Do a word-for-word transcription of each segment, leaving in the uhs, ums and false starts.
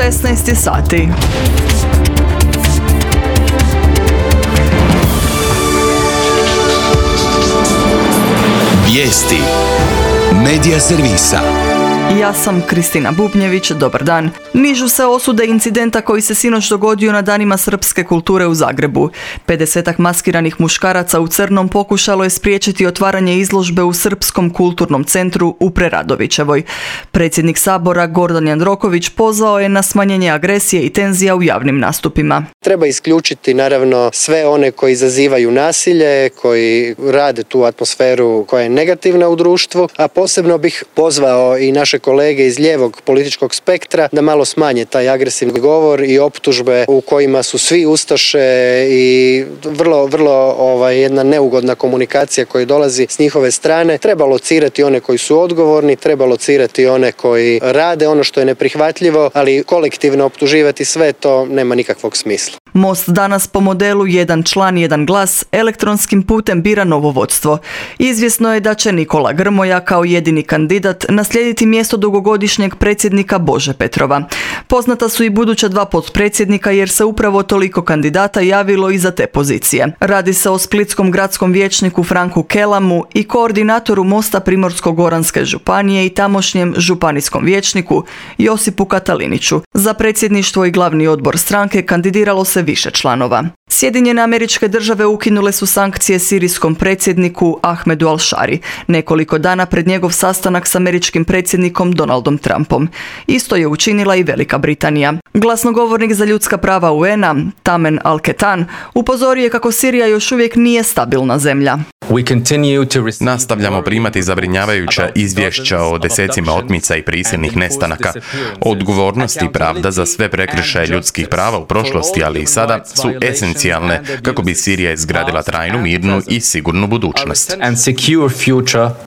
šesnaest sati. Vijesti Medija servisa. Ja sam Kristina Bubnjević, dobar dan. Nižu se osude incidenta koji se sinoć dogodio na danima srpske kulture u Zagrebu. pedesetak maskiranih muškaraca u crnom pokušalo je spriječiti otvaranje izložbe u Srpskom kulturnom centru u Preradovićevoj. Predsjednik Sabora Gordan Jandroković pozvao je na smanjenje agresije i tenzija u javnim nastupima. Treba isključiti naravno sve one koji izazivaju nasilje, koji rade tu atmosferu koja je negativna u društvu, a posebno bih pozvao i naše kolege iz lijevog političkog spektra da malo smanje taj agresivni govor i optužbe u kojima su svi ustaše i vrlo, vrlo ovaj, jedna neugodna komunikacija koja dolazi s njihove strane. Treba locirati one koji su odgovorni, treba locirati one koji rade ono što je neprihvatljivo, ali kolektivno optuživati sve to nema nikakvog smisla. Most danas po modelu jedan član, jedan glas elektronskim putem bira novo vodstvo. Izvjesno je da će Nikola Grmoja kao jedini kandidat naslijediti mjesto dugogodišnjeg predsjednika Bože Petrova. Poznata su i buduća dva potpredsjednika jer se upravo toliko kandidata javilo i za te pozicije. Radi se o splitskom gradskom vijećniku Franku Kelamu i koordinatoru Mosta Primorsko-goranske županije i tamošnjem županijskom vijećniku Josipu Kataliniću. Za predsjedništvo i glavni odbor stranke kandidiralo se više članova. Sjedinjene Američke Države ukinule su sankcije sirijskom predsjedniku Ahmedu Al-Shari nekoliko dana pred njegov sastanak s američkim predsjednikom Donaldom Trumpom. Isto je učinila i Velika Britanija. Glasnogovornik za ljudska prava U N-a, Tamen Al-Ketan, upozorio je kako Sirija još uvijek nije stabilna zemlja. Nastavljamo primati zabrinjavajuća izvješća o desecima otmica i prisilnih nestanaka. Odgovornost i pravda za sve prekršaje ljudskih prava u prošlosti, ali i sada, su esencijalne kako bi Sirija izgradila trajnu, mirnu i sigurnu budućnost.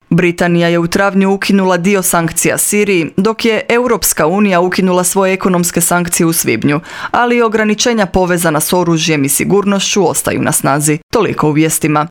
Britanija je u travnju ukinula dio sankcija Siriji, dok je Europska unija ukinula svoje ekonomske sankcije u svibnju, ali ograničenja povezana s oružjem i sigurnošću ostaju na snazi. Toliko u vijestima.